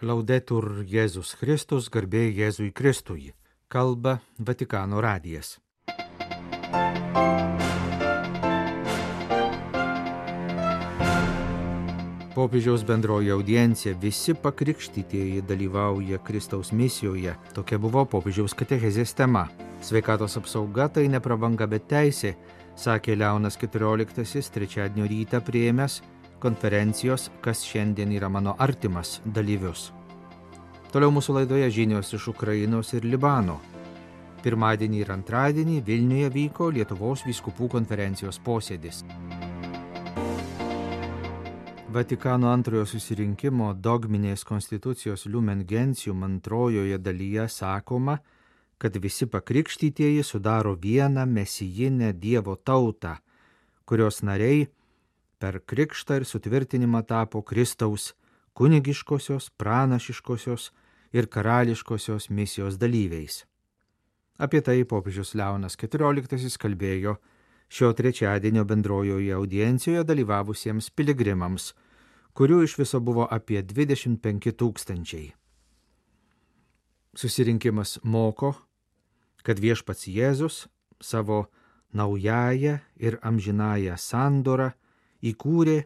Laudetur Jėzus Kristus, garbė Jėzui Kristui, kalba Vatikano radijas. Popiežiaus bendroji audiencija, visi pakrikštytieji dalyvauja Kristaus misijoje. Tokia buvo popiežiaus katechezės tema. Sveikatos apsauga tai ne prabanga, bet teisė, sakė Leonas XIV trečiadienio rytą priėmęs konferencijos Kas šiandien yra mano artimas dalyvius. Toliau mūsų laidoje žinios iš Ukrainos ir Libano. Pirmadienį ir antradienį Vilniuje vyko Lietuvos vyskupų konferencijos posėdis. Vatikano antrojo susirinkimo dogminės konstitucijos Lumen Gentium antrojoje dalyje sakoma, kad visi pakrikštytieji sudaro vieną mesijinę Dievo tautą, kurios nariai per krikštą ir sutvirtinimą tapo Kristaus kunigiškosios, pranašiškosios ir karališkosios misijos dalyviais. Apie tai popiežius Leonas XIV kalbėjo šio trečiadienio bendrojoje audiencijoje dalyvavusiems piligrimams, kurių iš viso buvo apie 25 000. Susirinkimas moko, kad viešpats Jėzus savo naująją ir amžinąją sandorą įkūrė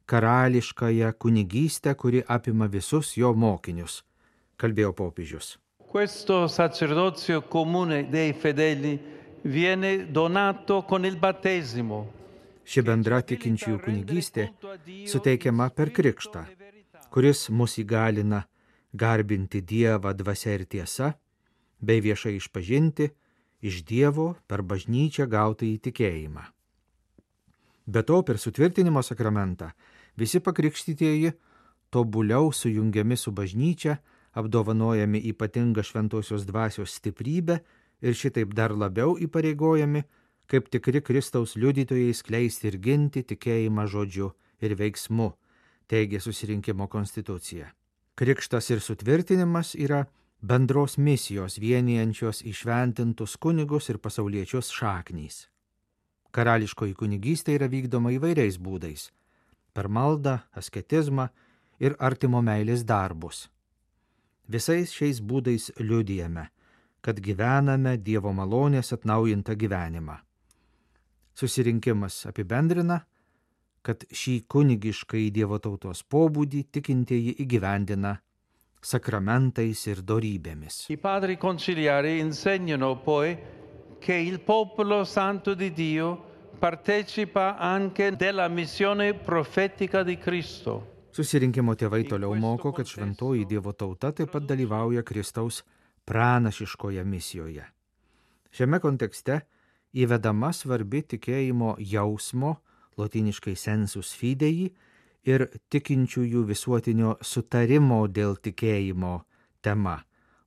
karališkąją kunigystę, kuri apima visus jo mokinius, kalbėjo popiežius. Questo sacerdozio comune dei fedeli viene donato con il battesimo. Ši bendra tikinčiųjų kunigystė suteikiama per krikštą, kuris mus įgalina garbinti Dievą dvasia ir tiesa, bei viešai išpažinti iš Dievo per bažnyčią gautą įtikėjimą. Be to, per sutvirtinimo sakramentą visi pakrikštytieji tobuliau sujungiami su bažnyčia, apdovanojami ypatingą šventosios dvasios stiprybę ir šitaip dar labiau įpareigojami, kaip tikri Kristaus liudytojai skleisti ir ginti tikėjimą žodžiu ir veiksmu, teigia susirinkimo konstitucija. Krikštas ir sutvirtinimas yra bendros misijos vienijančios įšventintus kunigus ir pasauliečius šaknys. Karališkoji kunigystė yra vykdoma įvairiais būdais – per maldą, asketizmą ir artimo meilės darbus. Visais šiais būdais liudijame, kad gyvename Dievo malonės atnaujintą gyvenimą. Susirinkimas apibendrina, kad šį kunigiškai Dievo tautos pobūdį tikintieji įgyvendina sakramentais ir dorybėmis. I padri conciliari insegnano poi che il popolo santo di Dio partecipa anche della missione profetica di Cristo. Susirinkimo tėvai toliau moko, kad šventoji Dievo tauta taip pat dalyvauja Kristaus pranašiškoje misijoje. Šiame kontekste įvedama svarbi tikėjimo jausmo, lotyniškai sensus fidei, ir tikinčiųjų visuotinio sutarimo dėl tikėjimo tema,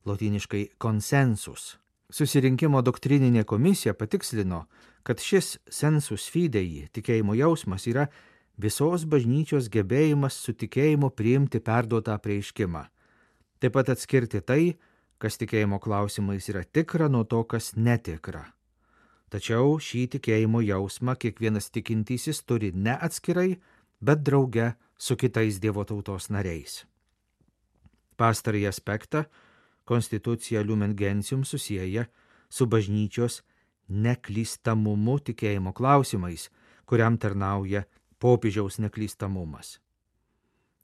lotyniškai konsensus. Susirinkimo doktrininė komisija patikslino, kad šis sensus fidei, tikėjimo jausmas, yra visos bažnyčios gebėjimas su tikėjimu priimti perduotą apreiškimą. Taip pat atskirti tai, kas tikėjimo klausimais yra tikra, nuo to, kas netikra. Tačiau šį tikėjimo jausmą kiekvienas tikintysis turi ne atskirai, bet drauge su kitais Dievo tautos nariais. Pastarąjį aspektą konstitucija Lumen Gentium susieja su bažnyčios neklystamumu tikėjimo klausimais, kuriam tarnauja popiežiaus neklystamumas.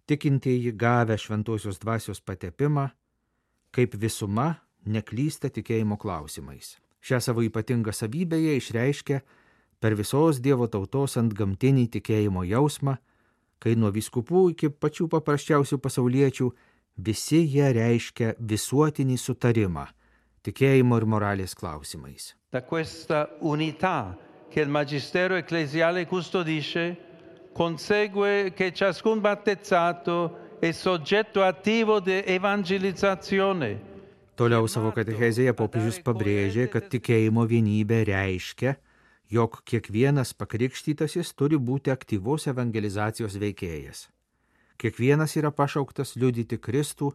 Tikintieji gavę šventosios dvasios patepimą, kaip visuma neklysta tikėjimo klausimais. Šią savo ypatingą savybę jie išreiškia per visos Dievo tautos antgamtinį tikėjimo jausmą, kai nuo vyskupų iki pačių paprasčiausių pasauliečių visi jie reiškia visuotinį sutarimą tikėjimo ir moralės klausimais. Da questa unità che il magistero ecclesiale custodisce, consegue che ciascun battezzato è soggetto attivo di evangelizzazione. Toliau savo katechezėje popiežius pabrėžė, kad tikėjimo vienybė reiškia, jog kiekvienas pakrikštytasis turi būti aktyvus evangelizacijos veikėjas. Kiekvienas yra pašauktas liudyti Kristų,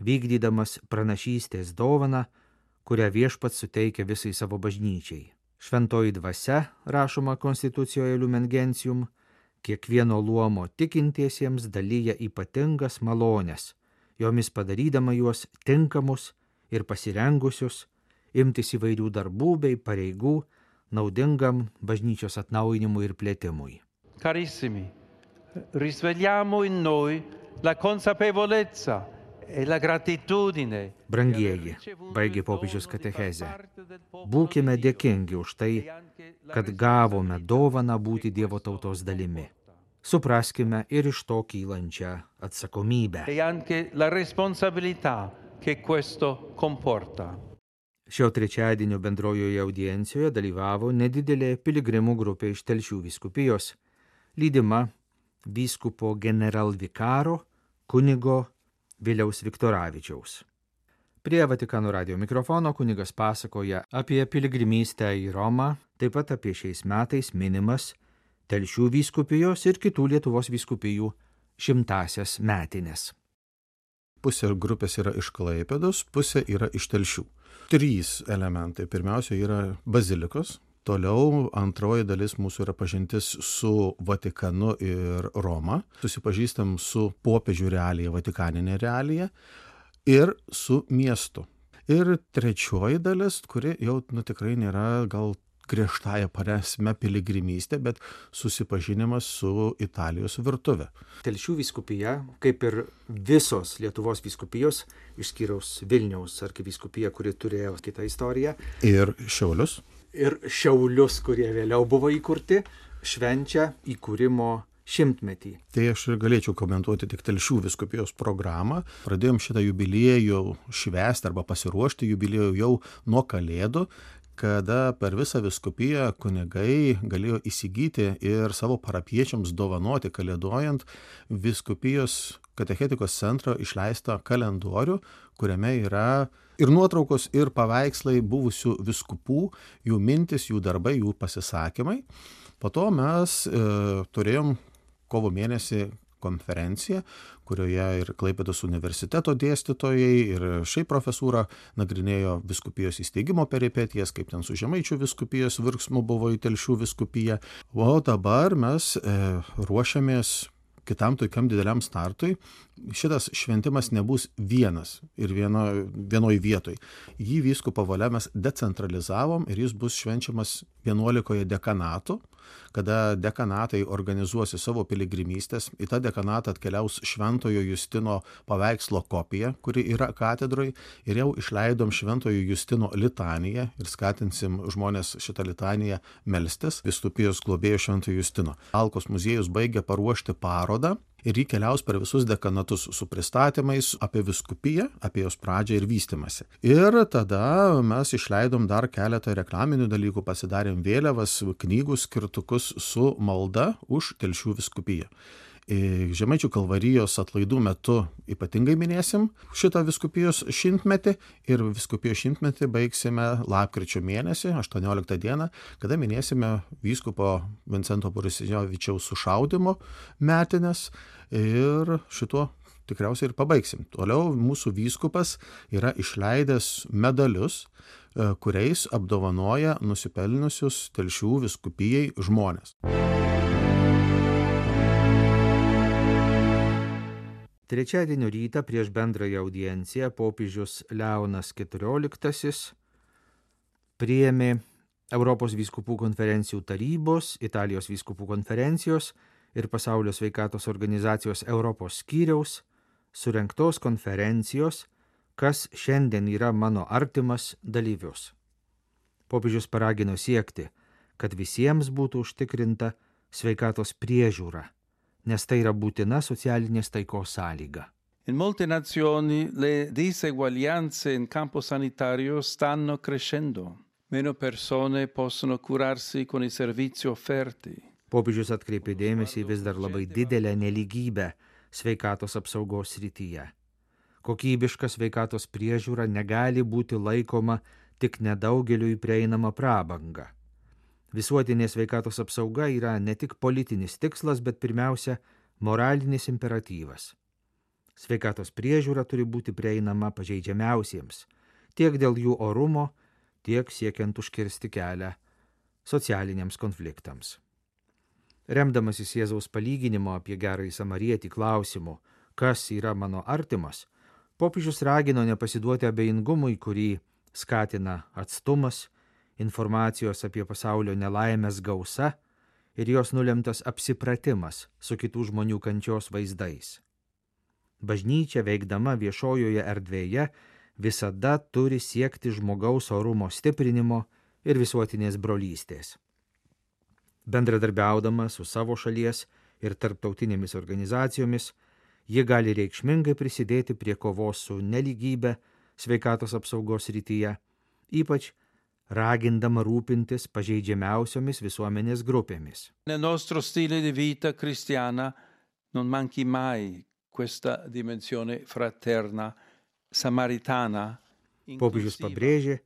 vykdydamas pranašystės dovaną, kurią viešpats suteikia visai savo bažnyčiai. Šventoji dvasia, rašoma konstitucijoje Lumen Gentium, kiekvieno luomo tikintiesiems dalyja ypatingas malonės jomis padarydama juos tinkamus ir pasirengusius imtis įvairių darbų bei pareigų naudingam bažnyčios atnaujinimui ir plėtimui. Carissimi, risvegliamo in noi la consapevolezza e la gratitudine. Brangieji, baigė popiežius katechezę, būkime dėkingi už tai, kad gavome dovaną būti Dievo tautos dalimi. Supraskime ir iš to kylančią atsakomybę. E anche la responsabilità che questo comporta. Šio trečiadienio bendrojoje audiencijoje dalyvavo nedidelė piligrimų grupė iš Telšių vyskupijos, lydima vyskupo generalvikaro kunigo Viliaus Viktoravičiaus. Prie Vatikano radijo mikrofono kunigas pasakoja apie piligrimystę į Romą, taip pat apie šiais metais minimas Telšių vyskupijos ir kitų Lietuvos vyskupijų 100-asias metines. Pusė grupės yra iš Klaipėdos, pusė yra iš Telšių. 3 elementai. Pirmiausia yra bazilikos, toliau antroji dalis mūsų yra pažintis su Vatikanu ir Roma, susipažįstam su popiežių realija, vatikaninė realija ir su miestu. Ir trečioji dalis, kuri jau tikrai nėra gal griežtąja prasme piligrimystė, bet susipažinimas su Italijos virtuve. Telšių vyskupija, kaip ir visos Lietuvos vyskupijos, išskyrus Vilniaus arkivyskupija, kuri turėjo kitą istoriją, Ir Šiaulius. ir Šiaulius, kurie vėliau buvo įkurti, švenčia įkūrimo 100-metį. Tai aš ir galėčiau komentuoti tik Telšių vyskupijos programą. Pradėjom šitą jubiliejų švęsti arba pasiruošti jubiliejų jau nuo Kalėdų, kada per visą vyskupiją kunigai galėjo įsigyti ir savo parapiečiams dovanoti kalėdojant vyskupijos katechetikos centro išleistą kalendorių, kuriame yra ir nuotraukos, ir paveikslai buvusių vyskupų, jų mintis, jų darbai, jų pasisakymai. Po to mes turėjom kovo mėnesį konferenciją, kurioje ir Klaipėdos universiteto dėstytojai, ir šiaip profesūra nagrinėjo vyskupijos įsteigimo peripetijas, kaip ten su Žemaičių vyskupijos virsmu buvo į Telšių vyskupiją. O dabar mes ruošiamės kitam tokiam dideliam startui. Šitas šventimas nebus vienas ir vienoj vietoj. Jį vyskupo valia mes decentralizavom ir jis bus švenčiamas 11 dekanatų, kada dekanatai organizuosi savo piligrimystės. Į tą dekanatą atkeliaus Šventojo Justino paveikslo kopija, kuri yra katedroj, ir jau išleidom Šventojo Justino litaniją ir skatinsim žmonės šitą litaniją melstis vyskupijos globėjo Šventojo Justino. Alkos muziejus baigia paruošti parodą ir jį keliaus per visus dekanatus su pristatymais apie vyskupiją, apie jos pradžią ir vystymąsi. Ir tada mes išleidom dar keletą reklaminių dalykų, pasidarėm vėliavas, knygų skirtukus su malda už Telšių vyskupiją. Žemaičių kalvarijos atlaidų metu ypatingai minėsim šitą vyskupijos 100-metį ir vyskupijos 100-metį baigsime lapkričio mėnesį, 18 dieną, kada minėsime vyskupo Vincento Borisevičiaus sušaudymo metines ir šituo tikriausiai ir pabaigsim. Toliau mūsų vyskupas yra išleidęs medalius, kuriais apdovanoja nusipelniusius Telšių vyskupijai žmonės. Trečiadienio rytą prieš bendrąją audienciją popiežius Leonas XIV priėmė Europos vyskupų konferencijų tarybos, Italijos vyskupų konferencijos ir Pasaulio sveikatos organizacijos Europos skyriaus surengtos konferencijos, kas šiandien yra mano artimas dalyvius. Popiežius paragino siekti, kad visiems būtų užtikrinta sveikatos priežiūra, nes tai yra būtina socialinės taikos sąlyga. In molte nazioni le diseguaglianze in campo sanitario stanno crescendo. Meno persone possono curarsi con i servizi offerti. Popiežius atkreipė dėmesį vis dar labai didelę nelygybę sveikatos apsaugos srityje. Kokybiška sveikatos priežiūra negali būti laikoma tik nedaugeliui prieinama prabanga. Visuotinė sveikatos apsauga yra ne tik politinis tikslas, bet pirmiausia moralinis imperatyvas. Sveikatos priežiūra turi būti prieinama pažeidžiamiausiems, tiek dėl jų orumo, tiek siekiant užkirsti kelią socialiniams konfliktams. Remdamasis Jėzaus palyginimo apie gerąjį samarietį klausimu, kas yra mano artimas, Popiežius ragino nepasiduoti abejingumui, kurį skatina atstumas, informacijos apie pasaulio nelaimės gausa ir jos nulemtas apsipratimas su kitų žmonių kančios vaizdais. Bažnyčia veikdama viešojoje erdvėje visada turi siekti žmogaus orumo stiprinimo ir visuotinės brolystės. Bendradarbiaudama su savo šalies ir tarptautinėmis organizacijomis, ji gali reikšmingai prisidėti prie kovos su nelygybė sveikatos apsaugos srityje, ypač ragindama rūpintis pažeidžiamiausiomis visuomenės grupėmis. Nel nostro stile di vita cristiana non manchi mai questa dimensione fraterna, samaritana. Popiežius pabrėžė,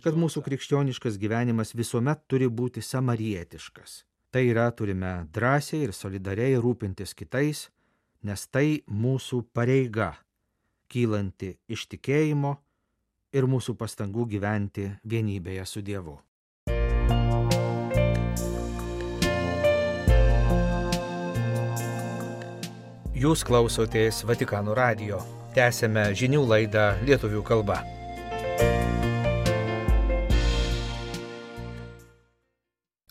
kad mūsų krikščioniškas gyvenimas visuomet turi būti samarietiškas. Tai yra, turime drąsiai ir solidariai rūpintis kitais, nes tai mūsų pareiga, kylanti iš tikėjimo ir mūsų pastangų gyventi vienybėje su Dievu. Jūs klausotės Vatikano radijo. Tęsėme žinių laidą lietuvių kalba.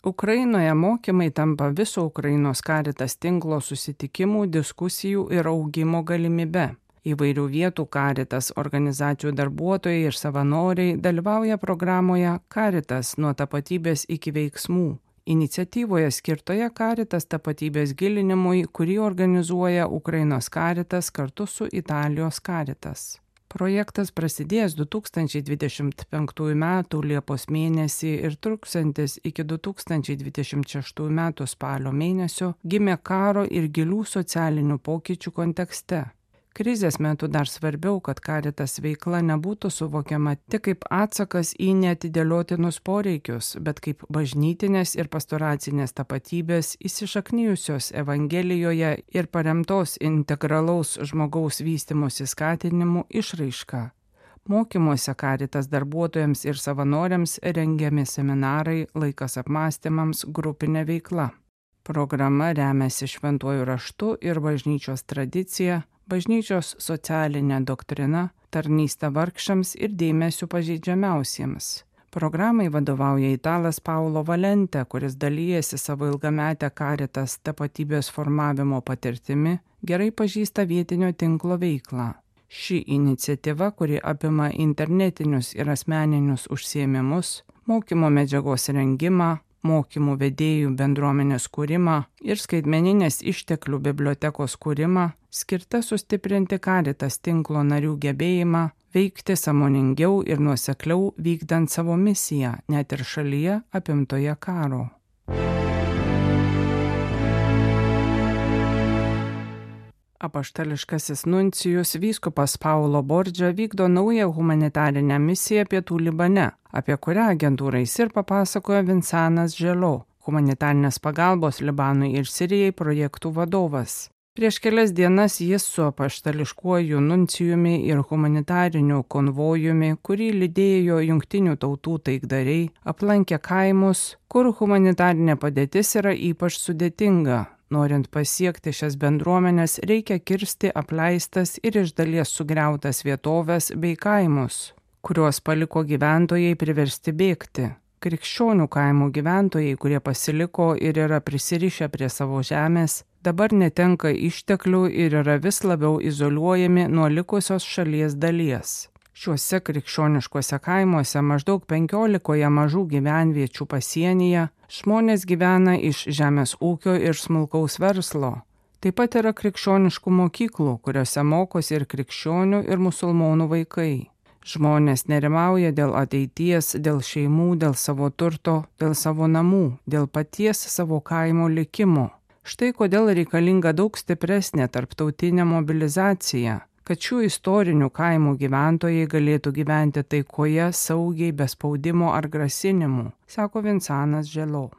Ukrainoje mokymai tampa viso Ukrainos Caritas tinklo susitikimų, diskusijų ir augimo galimybe. Įvairių vietų Caritas organizacijų darbuotojai ir savanoriai dalyvauja programoje Caritas nuo tapatybės iki veiksmų. Iniciatyvoje skirtoje Caritas tapatybės gilinimui, kurį organizuoja Ukrainos Caritas kartu su Italijos Caritas. Projektas prasidėjęs 2025 m. Liepos mėnesį ir truksiantis iki 2026 m. spalio mėnesio gimė karo ir gilių socialinių pokyčių kontekste. Krizės metu dar svarbiau, kad Caritas veikla nebūtų suvokiama tik kaip atsakas į neatidėliotinus poreikius, bet kaip bažnytinės ir pastoracinės tapatybės įsišaknijusios Evangelijoje ir paremtos integralaus žmogaus vystymosi skatinimu išraiška. Mokymuose Caritas darbuotojams ir savanoriams rengiami seminarai, laikas apmąstymams, grupinė veikla. Programa remiasi šventuoju raštu ir bažnyčios tradicija, bažnyčios socialinė doktrina, tarnystė vargšams ir dėmesiu pažeidžiamiausiems. Programai vadovauja italas Paulo Valente, kuris dalyjasi savo ilgametę Caritas tapatybės formavimo patirtimi, gerai pažįsta vietinio tinklo veiklą. Ši iniciatyva, kuri apima internetinius ir asmeninius užsiėmimus, mokymo medžiagos rengimą, mokymų vedėjų bendruomenės kūrimą ir skaitmeninės išteklių bibliotekos kūrimą, skirta sustiprinti Caritas tinklo narių gebėjimą veikti sąmoningiau ir nuosekliau vykdant savo misiją, net ir šalyje apimtoje karo. Apaštališkasis nuncijus vyskupas Paulo Bordžia vykdo naują humanitarinę misiją Pietų Libane, apie kurią agentūrai SIR papasakojo Vincanas Želo, humanitarinės pagalbos Libanui ir Sirijai projektų vadovas. Prieš kelias dienas jis su apaštališkuoju nuncijumi ir humanitariniu konvojumi, kurį lydėjo Jungtinių tautų taikdariai, aplankė kaimus, kur humanitarinė padėtis yra ypač sudėtinga. Norint pasiekti šias bendruomenės, reikia kirsti apleistas ir iš dalies sugriautas vietovės bei kaimus, kuriuos paliko gyventojai priversti bėgti. Krikščionių kaimų gyventojai, kurie pasiliko ir yra prisirišę prie savo žemės, dabar netenka išteklių ir yra vis labiau izoliuojami nuo likusios šalies dalies. Šiuose krikščioniškuose kaimuose maždaug 15 mažų gyvenviečių pasienyje žmonės gyvena iš žemės ūkio ir smulkaus verslo. Taip pat yra krikščioniškų mokyklų, kuriuose mokosi ir krikščionių ir musulmonų vaikai. Žmonės nerimauja dėl ateities, dėl šeimų, dėl savo turto, dėl savo namų, dėl paties savo kaimo likimo. Štai kodėl reikalinga daug stipresnė tarptautinė mobilizacija, kad šių istorinių kaimų gyventojai galėtų gyventi taikoje, saugiai, be spaudimo ar grasinimų, sako Vincanas Želo.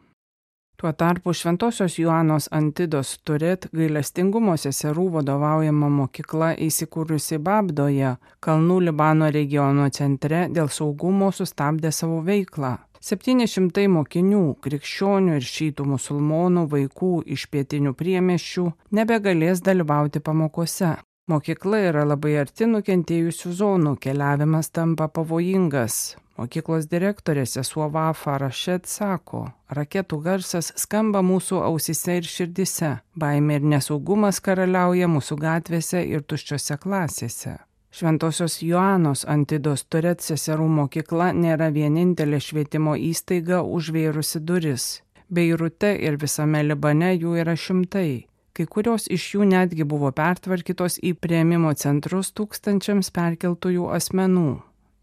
Tuo tarpu Šventosios Joanos Antidos Turet gailestingumo seserų vadovaujama mokykla įsikūrusi Babdoje, Kalnų Libano regiono centre, dėl saugumo sustabdė savo veiklą. 700 mokinių, krikščionių ir šytų musulmonų vaikų iš pietinių priemiesčių nebegalės dalyvauti pamokose. Mokykla yra labai arti nukentėjusių zonų, keliavimas tampa pavojingas. Mokyklos direktorė sesuo Vafa Rašet sako, raketų garsas skamba mūsų ausyse ir širdise, baimė ir nesaugumas karaliauja mūsų gatvėse ir tuščiose klasėse. Šventosios Joanos Antidos Turet seserų mokykla nėra vienintelė švietimo įstaiga užvėrusi duris. Beirute ir visame Libane jų yra šimtai. Kai kurios iš jų netgi buvo pertvarkytos į priėmimo centrus tūkstančiams perkeltųjų asmenų.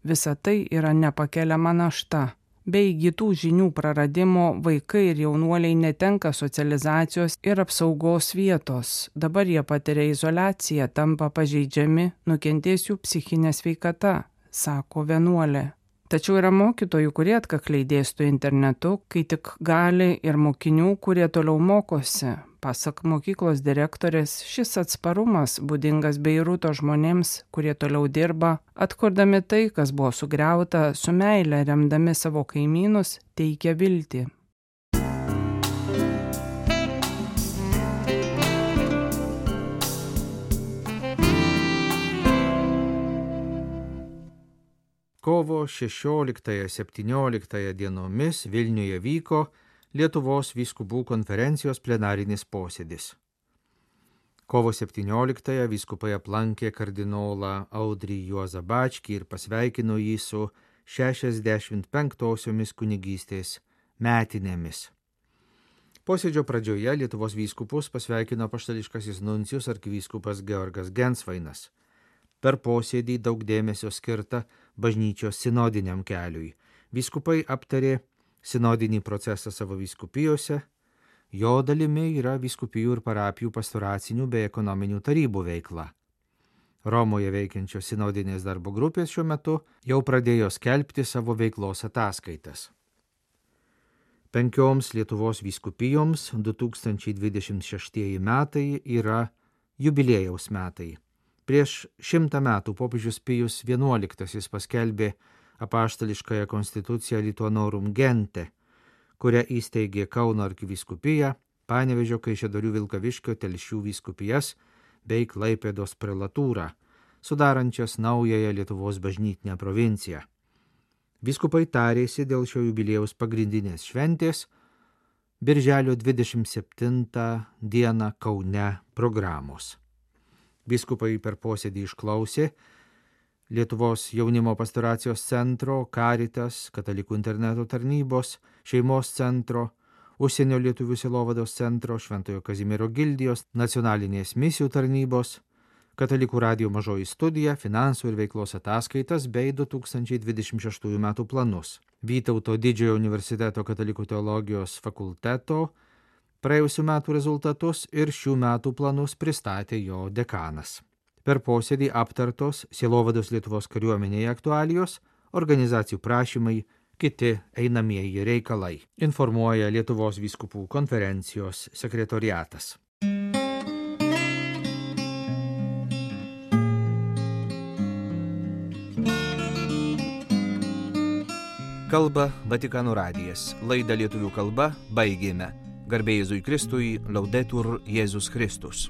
Visa tai yra nepakeliama našta. Be įgytų žinių praradimo vaikai ir jaunuoliai netenka socializacijos ir apsaugos vietos. Dabar jie patiria izoliaciją, tampa pažeidžiami, nukentės jų psichinė sveikata, sako vienuolė. Tačiau yra mokytojų, kurie atkakliai dėsto internetu, kai tik gali, ir mokinių, kurie toliau mokosi. Pasak mokyklos direktorės, šis atsparumas būdingas Beiruto žmonėms, kurie toliau dirba, atkurdami tai, kas buvo sugriauta, su meile remdami savo kaimynus, teikia viltį. Kovo 16-17 dienomis Vilniuje vyko Lietuvos vyskupų konferencijos plenarinis posėdis. Kovo 17 vyskupai aplankė kardinolą Audrį Juozą Bačkį ir pasveikino jį su 65-osiomis kunigystės metinėmis. Posėdžio pradžioje Lietuvos vyskupus pasveikino apaštališkasis nuncijus arkivyskupas Georgas Gensvainas. Per posėdį daug dėmesio skirta bažnyčios sinodiniam keliui. Vyskupai aptarė sinodinį procesą savo vyskupijose, jo dalimi yra vyskupijų ir parapijų pastoracinių bei ekonominių tarybų veikla. Romoje veikiančios sinodinės darbo grupės šiuo metu jau pradėjo skelbti savo veiklos ataskaitas. 5 Lietuvos vyskupijoms 2026 metai yra jubiliejaus metai. Prieš 100 metų popiežius Pijus XI paskelbė apaštališkąją konstituciją Lituanorum Gente, kurią įsteigė Kauno arkivyskupija, Panevėžio, Kaišiadorių, Vilkaviškio, Telšių vyskupijas bei Klaipėdos prelatūrą, sudarančias naująją Lietuvos bažnytinę provinciją. Vyskupai tarėsi dėl šio jubiliejaus pagrindinės šventės Birželio 27 dieną Kaune programos. Vyskupai per posėdį išklausė Lietuvos jaunimo pastoracijos centro, Caritas, Katalikų interneto tarnybos, šeimos centro, Užsienio lietuvių sielovados centro, Šventojo Kazimiero gildijos, nacionalinės misijų tarnybos, Katalikų radijo mažoji studija, finansų ir veiklos ataskaitas bei 2026 metų planus. Vytauto Didžiojo universiteto Katalikų teologijos fakulteto praėjusių metų rezultatus ir šių metų planus pristatė jo dekanas. Per posėdį aptartos sielovados Lietuvos kariuomenėje aktualijos, organizacijų prašymai, kiti einamieji reikalai, informuoja Lietuvos vyskupų konferencijos sekretoriatas. Kalba Vatikano radijas. Laidą lietuvių kalba baigėme. Garbė Jėzui Kristui, Laudetur Jėzus Kristus.